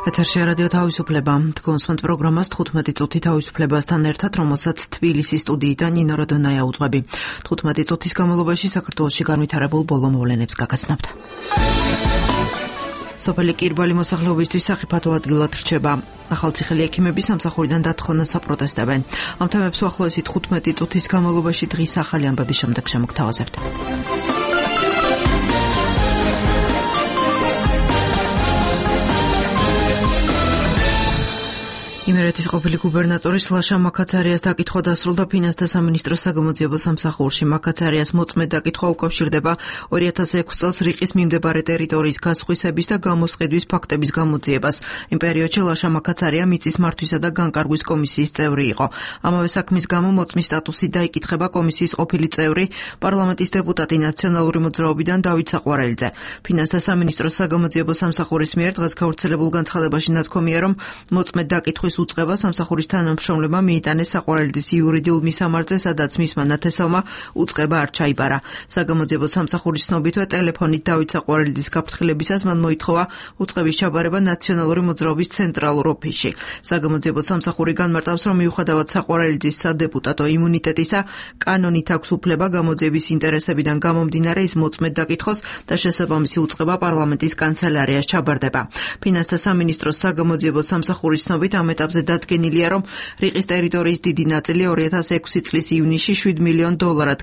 ეთერში რადიო თავისუფლება. თქვენს პროგრამას 15 წუთი თავისუფლებასთან ერთად, რომელსაც თბილისის სტუდიიდან ნინო როდონაია უძღვები. 15 წუთის განმავლობაში საქართველოში განვითარებულ ბოლო მოვლენებს გაგაცნობთ. სოფელი კირბალი მოსახლეობისთვის სახიფათო ადგილად რჩება. ახალციხელი ექიმები სამსახურიდან დათხოვნას აპროტესტებენ. ამ თემებს უახლოესი 15 წუთის განმავლობაში დღის ახალი ამბების შემდეგ შემოგთავაზებთ. იმერეთის ყოფილი გუბერნატორის ლაშა მაკაცარიას დაკითხვა დასრულდა ფინანსთა სამინისტროს საგამოძიებო სამსახურში. მაკაცარიას მოწმედ დაკითხვა უკავშირდება 2006 წელს რიყის მიმდებარე ტერიტორიის გასხვისების და გამოსყიდვის ფაქტების გამოძიებას. იმ პერიოდში ლაშა მაკაცარია მიწის მართვისა და განკარგვის კომისიის წევრი იყო. ამავე საქმის გამო მოწმის სტატუსი დაიკითხება კომისიის ყოფილი წევრი, პარლამენტის დეპუტატი ნაციონალური მოძრაობიდან დავით საყვარელიძე. ფინანსთა სამინისტროს საგამოძიებო სამსახურის მიერ დღეს გავრცელებულ განცხადებაში ნათქვამია, რომ მოწმედ დაკითხვის უწყება სამსახურის თანამშრომლებმა მიიტანეს საყვარელიძის იურიდიულ მისამართზე, სადაც მისმა ნათესავმა უწყება არ ჩაიბარა. საგამოძიებო სამსახურის ცნობითვე ტელეფონით დავით საყვარელიძის გაფრთხილებისას მან მოითხოვა უწყების ჩაბარება ნაციონალური მოძრაობის ცენტრალურ ოფისში. საგამოძიებო სამსახური განმარტავს, რომ მიუხედავად საყვარელიძის სადეპუტატო იმუნიტეტისა, კანონით აქვს უფლება გამოძიების ინტერესებიდან გამომდინარე ის მოწმედ დაკითხოს და შესაბამისი უწყება პარლამენტის კანცელარიას ჩაბარდება. ფინანსთა სამინისტროს საგამოძიებო სამსახურის ცნობით ამ ეტაპზე დადგენილია, რომ რიყის ტერიტორიის დიდი ნაწილი 2006 წლის ივნისში $7 მილიონ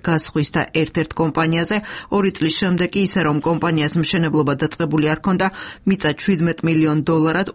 გასხვის და ერთ-ერთ კომპანიაზე, 2 წლის შემდეგ კი ისე რომ კომპანიას მშენებლობა დაწყებული არ ჰქონდა, მიწა $17 მილიონ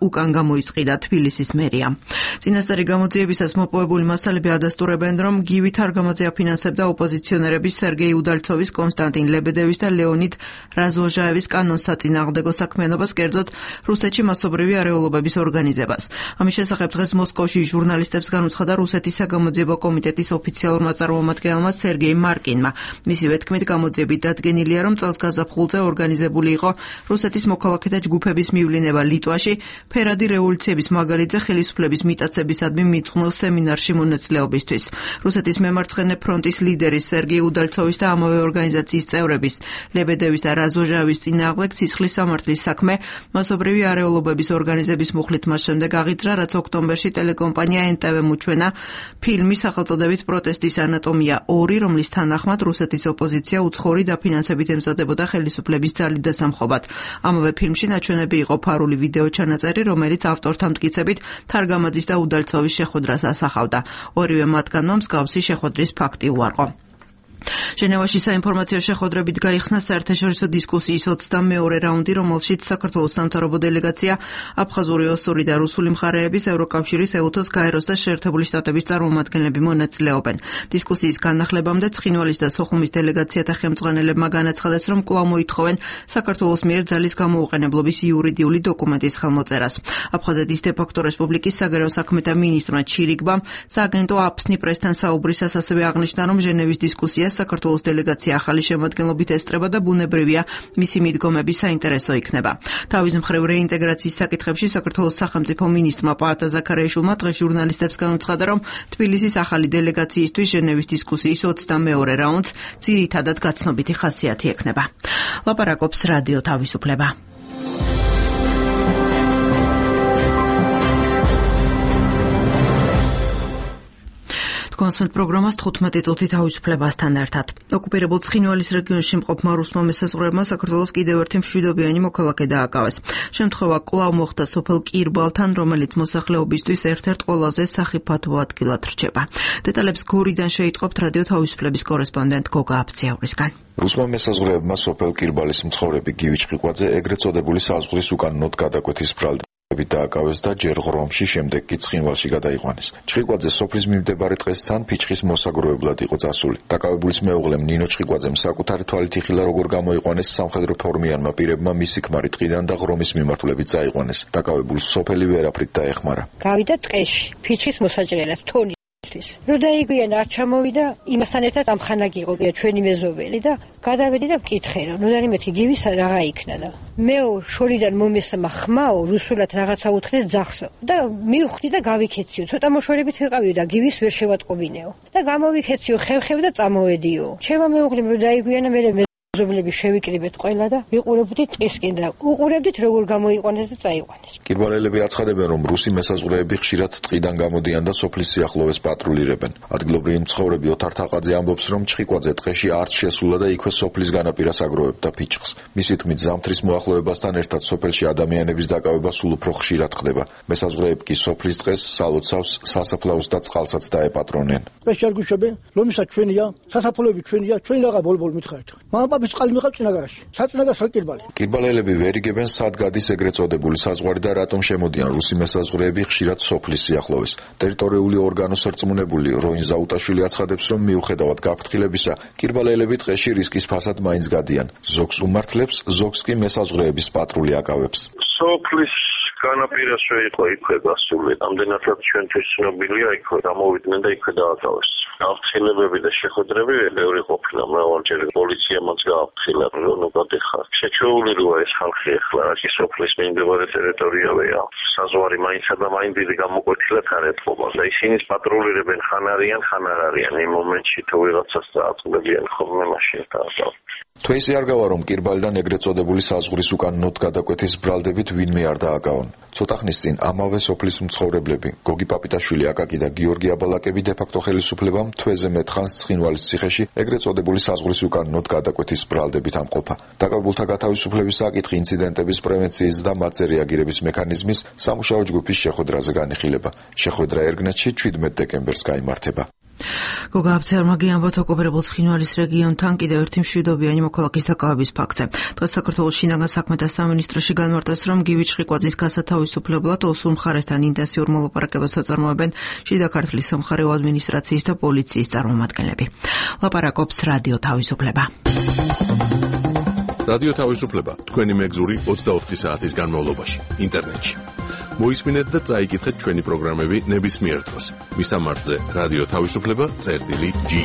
უკან გამოისყიდა თბილისის მერიამ. წინასწარი გამოძიებისას მოპოვებული მასალები ადასტურებენ, რომ გივით არ გამოძიაფინანსებდა ოპოზიციონერების სერგეი უდალცოვის, კონსტანტინ ლებედევის და ლეონიდ რაზვოჟაევის კანონსაწინააღმდეგო საქმიანობას, კერძოდ რუსეთში მასობრივი არეულობების ორგანიზებას. ამის შესახებ დღეს მოსკოვში ჟურნალისტებს განუცხადა რუსეთის საგამოძიებო კომიტეტის ოფიციალურმა წარმომადგენელმა სერგეი მარკინმა. მისივე თქმით, გამოძიებით დადგენილია, რომ წელს გაზაფხულზე ორგანიზებული იყო რუსეთის მოქალაქეთა ჯგუფების მივლინება ლიტვაში, ფერადი რევოლუციების მაგალითზე ხელისუფლების მიტაცებისადმი მიძღვნილ სემინარში მონაწილეობისთვის. რუსეთის მემარცხენე ფრონტის ლიდერის სერგეი უდალცოვის და ამავე ორგანიზაციის წევრების ლებედევის და რაზოჟაევის წინააღმდეგ სისხლის სამართლის საქმე მასობრივი არეულობების ორგანიზების მუხლით მას შემდეგ აღიძრა, რაც ოქტომბერში ტელეკომპანია NTV მოჩვენა ფილმი სახელწოდებით პროტესტის ანატომია 2, რომლის თანახმად რუსეთის ოპოზიცია უცხოური დაფინანსებით ემზადებოდა ხელისუფლების ძალით და სამხობად. ამავე ფილმში ნაჩვენები იყო ფარული ვიდეო ჩანაწერი, რომელიც ავტორთა მტკიცებით თარგამაძის და უდალცოვის შეხვედრას ასახავდა. ორივე მათგანმა მსგავსი შეხვედრის ფაქტი უარყო. ჟენევაში საინფორმაციო შეხვედრებით გაიხსნა საერთაშორისო დისკუსიის 22-ე რაუნდი, რომელშიც საქართველოს სამთავრობო დელეგაცია, აფხაზური, ოსური და რუსული მხარეების, ევროკავშირის, ეუთოს, გაეროს და შეერთებული შტატების წარმომადგენლები მონაწილეობენ. დისკუსიის განახლებამდე ცხინვალის და სოხუმის დელეგაციათა ხელმძღვანელებმა განაცხადეს, რომ კვლავ მოითხოვენ საქართველოს მიერ ძალის გამოუყენებლობის იურიდიული დოკუმენტის ხელმოწერას. აფხაზეთის დე-ფაქტო რესპუბლიკის საგარეო საქმეთა მინისტრმა ჩირიგბამ სააგენტო აფსნი პრესთან საუბრისას ასევე აღნიშნა, რომ ჟენევის დისკუსია საქართველოს დელეგაცია ახალი შემადგენლობით ესწრება და ბუნებრივია მისი მიდგომები საინტერესო იქნება. თავის მხრივ რეინტეგრაციის საკითხებში საქართველოს სახელმწიფო მინისტრმა პაატა ზაქარიაშვილმა დღეს ჟურნალისტებს განუცხადა, რომ თბილისის ახალი დელეგაციისთვის ჟენევის დისკუსიის 22-ე რაუნდს ძირითადად გაცნობიტი ხასიათი ექნება. ლაპარაკობს რადიო თავისუფლება. კონსმეთ პროგრამას 15 წუთი თავისუფლებასთან ერთად. ოკუპირებულ ცხინვალის რეგიონში მყოფმა რუსმა მესაზღვრეებმა საქართველოს კიდევ ერთი მშვიდობიანი მოქალაქე დააკავეს. შემთხვევა კვლავ მოხდა სოფელ კირბალთან, რომელიც მოსახლეობისთვის ერთ-ერთ ყველაზე სახიფათო ადგილად რჩება. დეტალებს გორიდან შეიტყობთ რადიო თავისუფლების კორესპონდენტ გოგა აფციაურისგან. რუსმა მესაზღვრეებმა სოფელ კირბალის მცხოვრები გივი ჭყიკვაძე ეგრეთ წოდებული საზღვრის უკანონოდ გადაკვეთის ბრალდებით დააკავეს და ჯერ ღრომში, შემდეგ კი ცხინვალში გადაიყვანეს. ჭყიკვაძე სოფლის მიმდებარე ტყესთან ფიჭხის მოსაგროვებლად იყო წასული. დაკავებულის მეუღლემ ნინო ჭყიკვაძემ საკუთარი თვალით იხილა, როგორ გამოიყვანეს სამხედრო ფორმიანმა პირებმა მისი ქმარი ტყიდან და ღრომის მიმართულებით წაიყვანეს. დაკავებულს სოფელი ვერაფრით დაეხმარა. გავიდა ტყეში, ფიჭხის მოსაჭრელად, თონის. რო დაიგვიან არ ჩამოვიდა, იმასთან ერთად ამხანა გიყო ჩვენი მეზობელი და გადავედი და ვკითხე, რომ ნუდანიმეთი გივის რაღაცა იქნა და მეო შორიდან მომესმა ხმაო რუსულად რაღაცა უთხრეს ძახსო და მივხვდი და გავიქეციო. ცოტა მოშორებით ვიყავიო და გივის ვერ შევატყობინეო და გამოვიქეციო ხევ და წამოვედიო. ჩემო მეუღლემ რო დაიგვიანა მე ზომლები შევიკრიბეთ ყველა და ვიყურებდით ტყისკენ და უყურებდით როგორ გამოიყვანეს და წაიყვანეს. კირბალელები აცხადებენ, რომ რუსი მესაზღვრეები ხშირად ტყიდან გამოდიან და სოფლის სიახლოვეს პატრულირებენ. ადგილობრივი მცხოვრები ოთარ თაყაძე ამბობს, რომ ჩხიკვაძე ტყეში არც შესულა და იქვე სოფლის განაპირას აგროვებდა ფიჭხს. მისი თქმით, ზამთრის მოახლოებასთან ერთად სოფელში ადამიანების დაკავება სულ უფრო ხშირად ხდება. მესაზღვრეები კი სოფლის ტყეს, სალოცავს, სასაფლაოს და წყალსაც დაეპატრონեն. შეარგუშებენ, რომისაც ჩვენია, სასაფლაოები ჩვენია, ჩვენ რაღა ბოლბოლ მითხარით. მამაპაპის წყალი მიყავ წინაგარაში. საწინაგარს კირბალი. კირბალელები ვერ იგებენ, სად გადის ეგრეთ წოდებული საზღვარი და რატომ შემოდიან რუსი მესაზღვრეები ხშირად სოფლის სიახლოვეს. ტერიტორიული ორგანოს რწმუნებული როინ ზაუტაშვილი აცხადებს, რომ მიუხედავად გაფრთხილებისა, კირბალელები ტყეში რისკის ფასად მაინც გადიან. ზოგს უმართლებს, ზოგს კი მესაზღვრეების პატრული აკავებს. სოფლის განაპირასვე იყო იქვე გასული. ამდენადაც ჩვენთვის ცნობილია, იქვე გამოვიდნენ და იქვე დააკავეს. გაფრთხილებები და შეხვედრები ბევრი ყოფილა, მრავალჯერ პოლიციამაც გააფრთხილა, რომ გადეხარ. შეჩვეული როა ეს ხალხი ახლა აქ სოფლის მიმდებარე ტერიტორიავეა. საზღვარი მაინცა და მაინც დიდი გამოკვეთილად არ ეთყობა და ისინი პატრულირებენ ხან არიან, ხან არ არიან. იმ მომენტში თუ ვიღაცას დააწყდებიან ხოლმე მაშინ დააკავეს. თვეისი არ გავა, რომ კირბალიდან ეგრეთ წოდებული საზღვრის უკან ნოთ გადაკვეთის ბრალდებით ვინმე არ დააკავონ. ცოტა ხნის წინ ამავე სოფლის მცხოვრებლები, გოგი პაპიტაშვილი, აკაკი და გიორგი აბალაკები დე-ფაქტო ხელისუფლებამ თვეზე მეტხანს ცხინვალის ციხეში ეგრეთ წოდებული საზღვრის უკან ნოთ გადაკვეთის ბრალდებით ამყოფა. დაკავებულთა გათავისუფლების საკითხი ინციდენტების პრევენციის და მათზე რეაგირების მექანიზმის სამუშაო ჯგუფის შეხვედრაზე განიხილება. შეხვედრა ერგნეთში 17 დეკემბერს გაიმართება. გოგა აფცერმაგი ამბობს ოკუპირებულ ცხინვალის რეგიონთან კიდევ ერთი მშვიდობიანი მოქალაქის დაკავების ფაქტზე. დღეს საქართველოს შინაგან საქმეთა სამინისტროში განმარტეს, რომ გივი ჩხიკვაძის გასათავისუფლებლად ოსურ მხარესთან ინტენსიურ მოლაპარაკებას აწარმოებენ შიდა ქართლის სამხარეო ადმინისტრაციის და პოლიციის წარმომადგენლები. ლაპარაკობს რადიო თავისუფლება. რადიო თავისუფლება თქვენი მეგზური 24 საათის განმავლობაში ინტერნეტში. მოისმინეთ და წაიკითხეთ ჩვენი პროგრამები ნებისმიერ დროს. მისამართზე რადიო თავისუფლება.ge.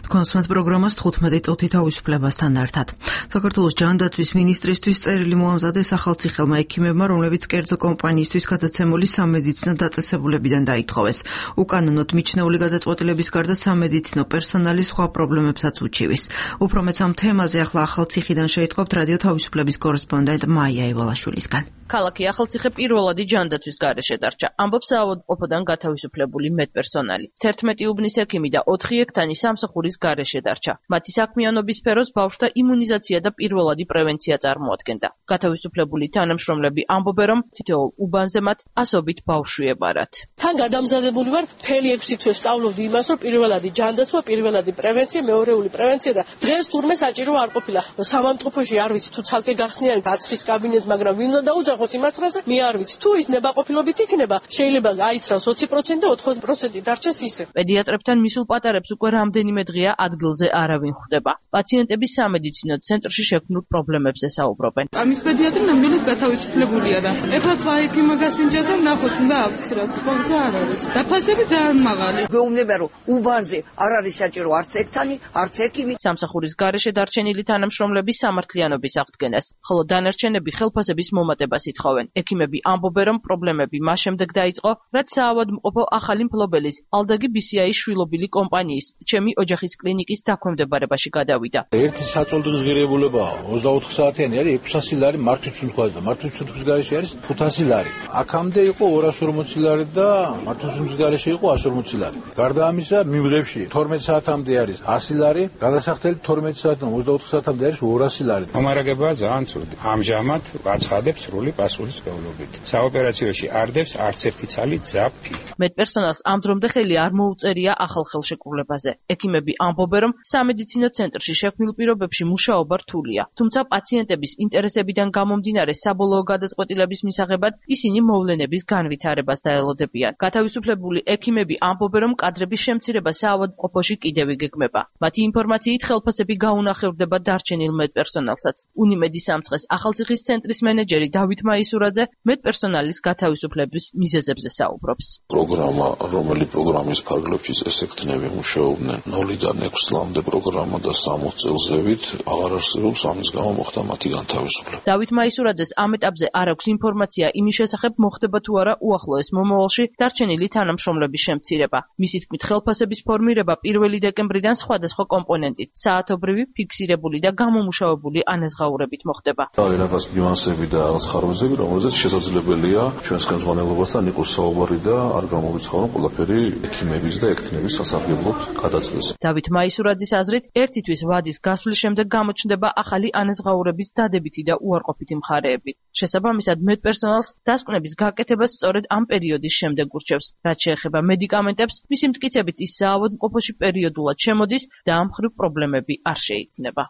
კონსმეთ პროგრამას 15 წუთი თავისუფლებასთან ერთად. საქართველოს ჯანდაცვის მინისტრისთვის წერილი მოამზადეს ახალციხელმა ექიმებმა, რომლებიც კერძო კომპანიისთვის გადაცემული სამედიცინო დაწესებულებიდან დაითხოვეს. უკანონოდ მიჩნეული გადაწყვეტილების გარდა სამედიცინო პერსონალი სხვა პრობლემებსაც უჩივის. უფრო მეც ამ თემაზე ახლა ახალციხიდან შეიტყობთ რადიო თავისუფლების კორესპონდენტ მაია ევალაშვილისგან. ქალაქი ახალციხე პირველადი ჯანდაცვის გარეშე დარჩა. ამბობს საავადმყოფოდან გათავისუფლებული მედპერსონალი. 11 უბნის ექიმი და 4 ექთანი სამსახურის გარეშე დარჩა. მათი საქმიანობის სფეროს ბავშვთა იმუნიზაცია და პირველადი პრევენცია წარმოადგენდა. გათავისუფლებული თანამშრომლები ამბობენ, რომ თითოეულ უბანზე მათ ასობით ბავშვი ებარათ. თან გადამზადებული ვარ, მთელი 6 თვე სწავლობდი იმას, რომ პირველადი ჯანდაცვა, პირველადი პრევენცია, მეორეული პრევენცია და დღეს თურმე საჭირო არ ყოფილა. სამავადმყოფოში არ ვიცი თუ ცალკე გახსნიან გაცრის კაბინეტს, მაგრამ ვინ უნდა დაუძახოს იმაცრაზე, მე არ ვიცი. თუ ის ნებაყოფილობით იქნება, შეიძლება აიცრავს 20% და 80% დარჩეს ისე. პედიატრებთან მისულ პატარებს უკვე რამდენიმე დღეა ადგილზე არავინ ხვდება. პაციენტების სამედიცინო ცენტრში შექმნილ პრობლემებზე საუბრობენ. ამის პედიატრი ნამდვილად გათავისუფლებულია და ეხლა სხვა ექიმმა გასინჯა და ნახოთ უნდა ავცრათ, ხოლმე არ არის. დაფასები ძალიან მაღალი. გეუბნება რომ უბანზე არ არის საჭირო არც ექთანი, არც ექიმი. სამსახურის გარეშე დარჩენილი თანამშრომლების სამართლიანობის აღდგენას, ხოლო დანარჩენები ხელფასების მომატებას ითხოვენ. ექიმები ამბობენ, რომ პრობლემები მას შემდეგ დაიწყო, რაც საავადმყოფო ახალი მფლობელის ალდაგი BCI-ის შვილობილი კომპანიის ჩემი ოჯახის კლინიკის დაქვემდებარებაში გადავიდა. ერთი საწოლდო ღირებულებაა 24 საათიანი არის 600 ლარი მართვის სუნთქვაზე და მართვის სუნთქვის გარეშე არის 500 ლარი. აქამდე იყო 240 ლარი და მართვის სუნთქვის გარეშე იყო 140 ლარი. გარდა ამისა მიმღებში 12 საათამდე არის 100 ლარი, გადასახდელი 12 საათიდან 24 საათამდე არის 200 ლარი. მომარაგებაა ძალიან ცუდი. ამჟამად აცხადებს სრული პასუხისმგებლობით. საოპერაციოში არდებს არც ერთი ცალი ძაფი. მედპერსონალს ამ დრომდე ხელი არ მოუწერია ახალ ხელშეკრულებაზე. ექიმები ამბობენ, რომ სამედიცინო ცენტრში შექმნილ პირობებში მუშაობა რთულია. თუმცა პაციენტების ინტერესებიდან გამომდინარე საბოლოო გადაწყვეტილების მისაღებად ისინი მოვლენების განვითარებას დაელოდებიან. გათავისუფლებული ექიმები ამბობენ, რომ კადრების შემცირება საავადმყოფოში კიდევ იგეგმება. მათი ინფორმაციით ხელფასები გაუნახევრდება დარჩენილ მედპერსონალსაც. უნიმედის სამცხეს ახალციხის ცენტრის მენეჯერი დავით დავით მაისურაძე მედპერსონალის გათავისუფლების მიზეზებზე საუბრობს. რომელი პროგრამის ფარგლებშიც ესექთნები მუშაობდნენ 0-დან 6 წლამდე პროგრამა და 60 წელზევით აღარ არსებობს, ამის გამო მოხდა მათი განთავისუფლება. დავით მაისურაძეს ამ ეტაპზე არ აქვს ინფორმაცია იმის შესახებ, მოხდება თუ არა უახლოეს მომავალში დარჩენილი თანამშრომლების შემცირება. მისი თქმით, ხელფასების ფორმირება 1 დეკემბრიდან სხვადასხვა კომპონენტით, საათობრივი, ფიქსირებული და გამომუშავებული ანაზღაურებით მოხდება. რაღაც ნიუანსები და რაღაც ხარვეზები, რომელზეც შესაძლებელია ჩვენს ხელმძღვანელობასთან იყოს საუბარი და არ გამოვიცხარო ყველაფერი ექიმების და ექთნების სასარგებლოდ გადაწყვეტს. დავით მაისურაძის აზრით, ერთი თვის ვადის გასვლის შემდეგ გამოჩნდება ახალი ანაზღაურების დადებითი და უარყოფითი მხარეები. შესაბამისად, მედპერსონალს დასკვნების გაკეთებას სწორედ ამ პერიოდის შემდეგ ურჩევს. რაც შეეხება მედიკამენტებს, მისი მტკიცებით ის საავადმყოფოში პერიოდულად შემოდის და ამ მხრივ პრობლემები არ შეიქმნება.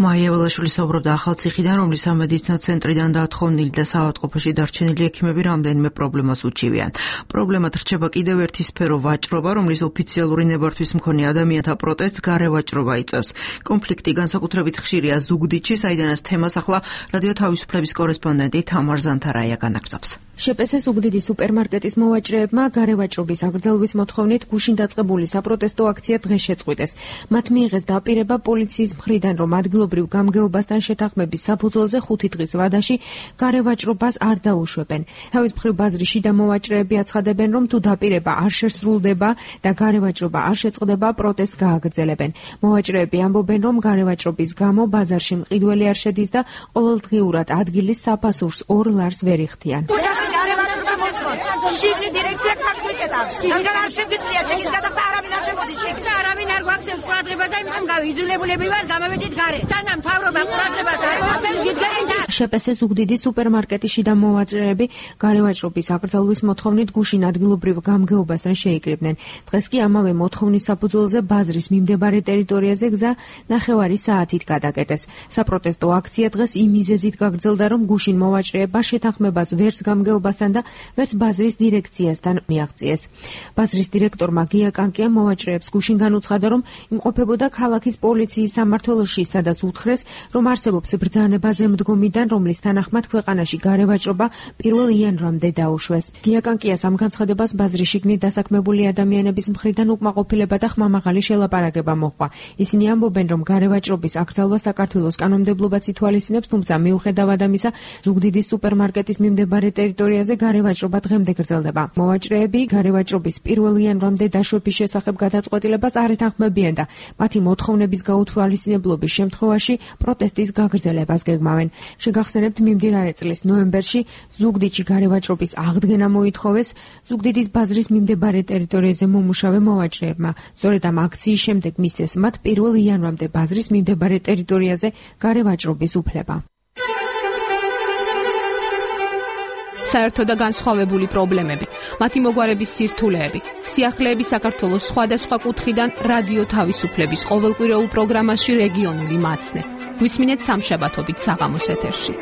მაია ველაშვილი საუბრობდა ახალციხიდან, რომლის სამედიცინო ცენტრიდან დათხოვნილი და საავადმყოფოში დარჩენილი ექიმები რამდენიმე პრობლემას უჩივიან. პრობლემად რჩება კიდევ ერთი სფერო ვაჭრობა, რომლის ოფიციალური ნებართვის მქონე ადამიანთა პროტესტს გარე ვაჭრობა იწვევს. კონფლიქტი განსაკუთრებით ხშირია ზუგდიდში, საიდანაც თემას ახლა რადიო თავისუფლების კორესპონდენტი თამარ ზანთარაია განაგრძობს. შპს ზუგდიდის სუპერმარკეტის მოვაჭრეებმა გარე ვაჭრობის აღგრძელვის მოთხოვნით გუშინ დაწყებული საპროტესტო აქცია დღეს შეწყვიტეს. მათ მიიღეს დაპირება პოლიციის მხრიდან, რომ ადგილობრივ გამგეობასთან შეთანხმების საფუძველზე 5 დღის ვადაში გარე ვაჭრობას არ დაუშვებენ. თავის მხრივ ბაზრის შიდა მოვაჭრეები აცხადებენ, რომ თუ დაპირება არ შესრულდება და გარე ვაჭრობა არ შეწყდება, პროტესტს გააგრძელებენ. მოვაჭრეები ამბობენ, რომ გარე ვაჭრობის გამო ბაზარში მყიდველი არ შედის და ყოველდღიურად ადგილის საფასურს 2 ლარს ვერ იხდიან. შიგნით დირექცია კარს მიკეთავს. რადგან არ შეგიძლია ჩემის გადახდა არავინ არ შემოდის შეგ და არავინ არ გვაქცევს ყურადღებას და იმთან გავიძულებულები ვარ გამოვედით გარეთ. სანამ მთავრობა ყურადღებას არ აქცევს გიდგენით. შპს ზუგდიდის სუპერმარკეტის შიდა მოვაჭრეები გარე ვაჭრობის აღგრძელვის მოთხოვნით გუშინ ადგილობრივ გამგეობასთან შეიკრიბნენ. დღეს კი ამავე მოთხოვნის საფუძველზე ბაზრის მიმდებარე ტერიტორიაზე გზა 9 საათით გადაკეტეს. საპროტესტო აქცია დღეს იმ მიზეზით გაგრძელდა, რომ გუშინ მოვაჭრეება შეთანხმებას ვერც გამგეობასთან და ვერც ბაზრის დირექციასთან მიაღწიეს. ბაზრის დირექტორმა გია კანკიამ მოვაჭრეებს გუშინ განუცხადა, რომ იმყოფებოდა ქალაქის პოლიციის სამმართველოში, სადაც უთხრეს, რომ არსებობს ბრძანება ზემდგომიდან, რომლის თანახმად ქვეყანაში გარე ვაჭრობა 1 იანვრამდე დაუშვეს. გია კანკიას ამ განცხადებას ბაზრის შიგნით დასაქმებული ადამიანების მხრიდან უკმაყოფილება და ხმამაღალი შელაპარაკება მოჰყვა. ისინი ამბობენ, რომ გარე ვაჭრობის აკრძალვა საქართველოს კანონმდებლობაც ითვალისწინებს, თუმცა მიუხედავად ამისა, ზუგდიდის სუპერმარკეტის მიმდებარე ტერიტორიაზე გარე ვაჭრობა დღემდე გრძელდება. მოვაჭრეები გარე ვაჭრობის 1 იანვრამდე დაშვების შესახებ გადაწყვეტილებას არ ეთანხმებიან და მათი მოთხოვნების გაუთვალისწინებლობის შემთხვევაში პროტესტის გაგრძელებას გეგმავენ. შეგახსენებთ, მიმდინარე წლის ნოემბერში ზუგდიდში გარე ვაჭრობის აღდგენა მოითხოვეს ზუგდიდის ბაზრის მიმდებარე ტერიტორიაზე მომუშავე მოვაჭრეებმა. სწორედ ამ აქციის შემდეგ მისცეს მათ 1 იანვრამდე ბაზრის მიმდებარე ტერიტორიაზე გარე ვაჭრობის უფლება. საერთო და განსხვავებული პრობლემები, მათი მოგვარების სირთულეები, სიახლეები საქართველოს სხვადასხვა კუთხიდან რადიო თავისუფლების ყოველკვირეულ პროგრამაში რეგიონული მაცნე. გვისმინეთ სამშაბათობით საღამოს ეთერში.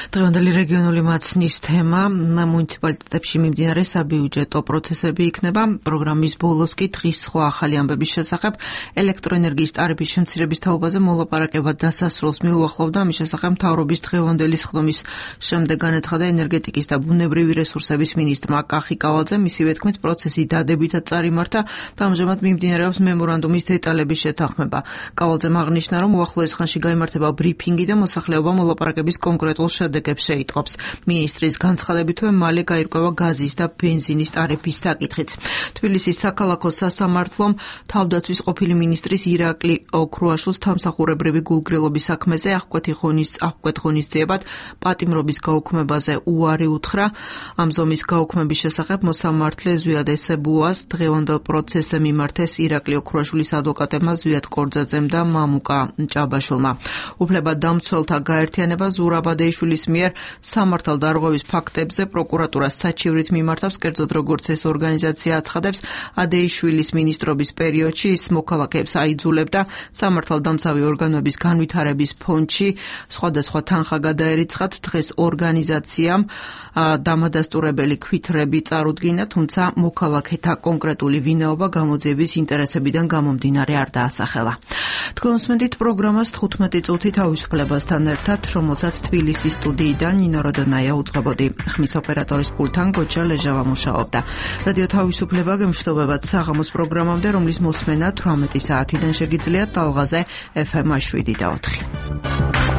დღევანდელი რეგიონული მაცნის თემა მუნიციპალიტეტებში მიმდინარე საბიუჯეტო პროცესები იქნება. პროგრამის ბოლოს კი დღის სხვა ახალი ამბების შესახებ ელექტროენერგიის ტარიფის შემცირების თაობაზე მოლაპარაკება დასასრულს მიუახლოვდა. ამის შესახებ მთავრობის დღევანდელი სხდომის შემდეგ განაცხადა ენერგეტიკის და ბუნებრივი რესურსების მინისტრმა კახი კავალძე. მისივე თქმით, პროცესი დადებითად წარიმართა და ამჟამად მიმდინარეობს მემორანდუმის დეტალების შეთანხმება. კავალძემ აღნიშნა, რომ უახლოეს ხანში გაიმართება ბრიფინგი და მოსახლეობა მოლაპარაკების კონკრეტულ შედეგებს შეიტყობს. მინისტრის განცხადებითვე მალე გაირკვევა გაზის და ბენზინის ტარიფის საკითხიც. თბილისის საქალაქო სასამართლომ თავდაცვის ყოფილი მინისტრის ირაკლი ოქრუაშვილს თამსახურებრივი გულგრილობის საქმეზე აღკვეთ ღონისძიებად პატიმრობის გაუქმებაზე უარი უთხრა. ამ ზომის გაუქმების შესახებ მოსამართლე ზვიად ესებუას დღევანდელ პროცესზე მიმართეს ირაკლი ოქრუაშვილის ადვოკატებმა ზვიად კორძაძემ და მამუკა ჭაბაშვილმა. უფლებადამცველთა გაერთიანება ზურაბადეიშვილის მიერ სამართალდარღვევის ფაქტებზე პროკურატურას საჩივრით მიმართავს, კერძოდ როგორც ეს ორგანიზაცია აცხადებს, ადეიშვილის მინისტრობის პერიოდში ის მოქალაქეებს აიძულებდა სამართალდამცავი ორგანოების განვითარების ფონდში სხვადასხვა თანხა გადაერიცხათ. დღეს ორგანიზაციამ დამადასტურებელი ქვითრები წარუდგინა, თუმცა მოქალაქეთა კონკრეტული ვინაობა გამოძიების ინტერესებიდან გამომდინარე არ დაასახელა. თქვენ უსმენთ პროგრამას 15 წუთი თავისუფლებასთან ერთად, რომელსაც თბილისის სტუდიიდან ნინო როდონაია უძღვებოდი. ხმის ოპერატორის პულტთან გოჩა ლეჟავა მუშაობდა. რადიო თავისუფლება გემშვიდობებათ საღამოს პროგრამამდე, რომლის მოსმენა 18 საათიდან შეგიძლიათ ტალღაზე FM 7 და 4.